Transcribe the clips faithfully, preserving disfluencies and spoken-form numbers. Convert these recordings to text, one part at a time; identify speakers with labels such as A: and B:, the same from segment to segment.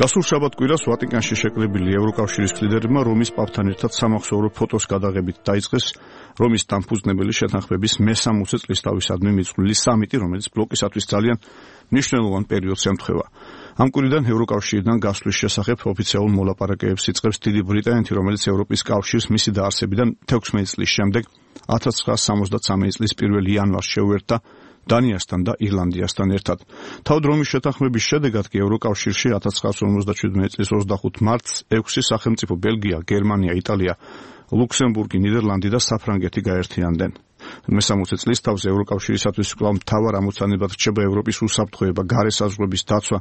A: გასულ შაბათ-კვირას ვატიკანში შეკრებილი ევროკავშირის ლიდერებმა რომის პაპთან ერთად სამახსოვრო ფოტოს გადაღებით დაიწყეს რომის დამფუძნებელი შეთანხმების მესამოცე წლისთავისადმი მიწყვლილი სამიტი, რომელიც ბლოკისათვის ძალიან მნიშვნელოვან პერიოდს ემთხვევა. ამ კვირიდან ევროკავშირიდან გასვლის შესახებ ოფიციალურ მოლაპარაკებებს იწყებს დიდი ბრიტანეთი, რომელიც ევროპის კავშირს მისი დაარსებიდან თექვსმეტ წლის შემდეგ ათას ცხრაასი სამოცდათსამი წლის პირველი იანვარს შეუერთდა დანიასთან და ირლანდიასთან ერთად. თავად რომის შეთანხმების შედეგად კი ევროკავშირში ათას ცხრაასი ორმოცდაშვიდმეტი წლის ოცდახუთი მარტს ექვსი სახელმწიფო ბელგია, გერმანია, იტალია, ლუქსემბურგი, ნიდერლანდი და საფრანგეთი გაერთიანდნენ. მესამოცე წლის თავზე ევროკავშირისათვის კვლავ მთავარ ამოცანებად რჩება ევროპის უსაფრთხოება, გარე საზღვრების დაცვა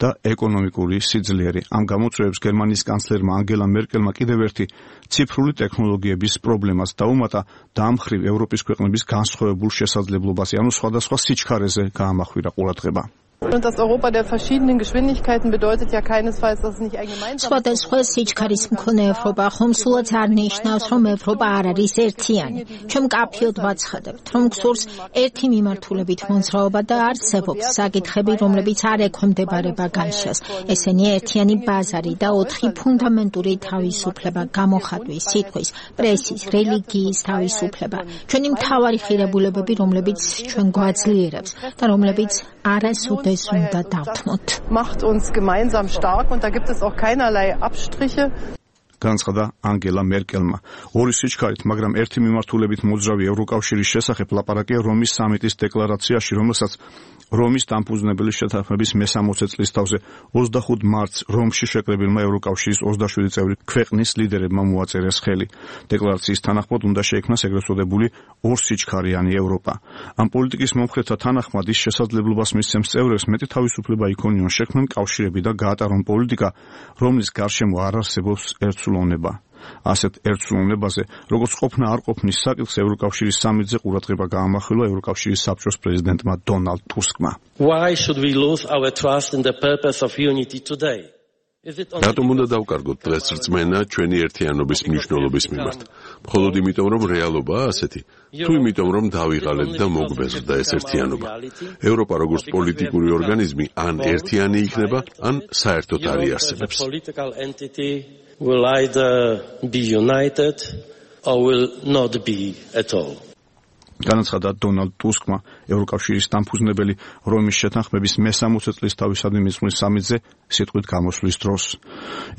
A: და ეკონომიკური სიძლიერე. ამ გამოწვევებს გერმანიის კანცლერმა ანგელა მერკელმა კიდევ ერთი ციფრული ტექნოლოგიების პრობლემას დაუმატა და ამ მხრივ ევროპის ქვეყნების განსხვავებულ შესაძლებლობაზე, ანუ სხვადასხვა სიჩქარეზე გაამახვილა ყურადღება.
B: Und das Europa der verschiedenen Geschwindigkeiten bedeutet ja keinesfalls, dass es nicht ein gemeinsames
C: სხვადასხვა სიჩქარის მქონე ევროპა ხომ სულაც არ ნიშნავს, რომ ევროპა არ არის ერთიანი. ჩვენ მკაფიოდ ვაცხადებთ, რომ გსურს ერთი მიმართულებით მოძრაობა და არსებობს საკითხები, რომლებიც არ ექვემდებარება განშას. ესენი ერთიანი ბაზარი და ოთხი ფუნდამენტური თავისუფლება, გამოხატვის, სიტყვის, პრესის, რელიგიის თავისუფლება. ჩვენი მთავარი ღირებულებები, რომლებიც ჩვენ გვაძლიერებს და რომლებიც არასოდეს
B: macht uns gemeinsam stark und da gibt es auch keinerlei Abstriche.
A: განცხადა ანგელა მერკელმა. ორი სიჩქარით, მაგრამ ერთი მიმართულებით მოძრავი ევროკავშირის შესახებ ლაპარაკია რომის სამიტის დეკლარაციაში, რომელსაც რომის დამფუძნებელი შეთანხმების მესამოცე წლის თავზე ოცდახუთი მარტს რომში შეკრებილმა ევროკავშირის ოცდაშვიდი წევრი ქვეყნის ლიდერებმა მოაწერეს ხელი. დეკლარაციის თანახმად უნდა შეიქმნას ეგრეთ წოდებული ორსიჩქარიანი ევროპა. ამ პოლიტიკის მომხრეთა თანახმად ის შესაძლებლობას მისცემს წევრებს მეტი თავისუფლება იქონიონ შექმნან კავშირები და გაატარონ პოლიტიკა, რომლის გარშემო არ არსებობს ერთსულოვნება. ასეთ ერთსულოვნებაზე, როგორც ყოფნა არ ყოფნის საკითხს ევროკავშირის სამიტზე ყურადღება გაამახვილა ევროკავშირის საბჭოს პრეზიდენტმა დონალდ ტუსკმა.
D: Why should we lose our trust in the purpose of unity today?
E: რატომ უნდა დავკარგოთ დღეს რწმენა ჩვენი ერთიანობის მნიშვნელობის მიმართ? მხოლოდ იმიტომ, რომ რეალობაა ასეთი? თუ იმიტომ, რომ დავიღალეთ და მოგვბეზრდა ეს ერთიანობა? ევროპა როგორც პოლიტიკური ორგანიზმი ან ერთიანი იქნება, ან საერთოდ არ იარსებებს.
D: will either be united or will not be at all.
A: განაცხადა დონალდ ტუსკმა ევროკავშირის დამფუძნებელი რომის შეთანხმების მესამოცე წლის თავისადმი მიწყვის სამიტზე სიტყვით გამოსვლის დროს.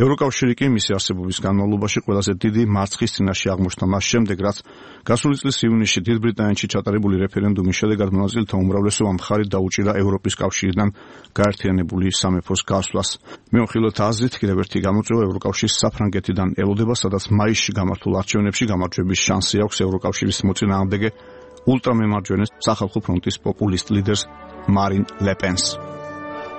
A: ევროკავშირი კი მისი არსებობის განმავლობაში ყველაზე დიდი მარცხის წინაშე აღმოჩნდა მას შემდეგ, რაც გასული წლის ივნისში დიდ ბრიტანეთში ჩატარებული რეფერენდუმის შედეგად მონაწილეთა უმრავლესობა მხარი დაუჭირა ევროპის კავშირიდან გაერთიანებული სამეფოს გასვლას. მეუხილოთ აზრით, კიდევ ერთი გამოწვევა ევროკავშირის საფრანგეთიდან ელოდება, სადაც მაისში გამართულ არჩევნებში გამარჯვების შანსი აქვს ევროკავშირის მოწინააღმდეგე ულტრამემარჯვენე სახალხო ფრონტის პოპულისტ ლიდერს მარინ ლე პენს.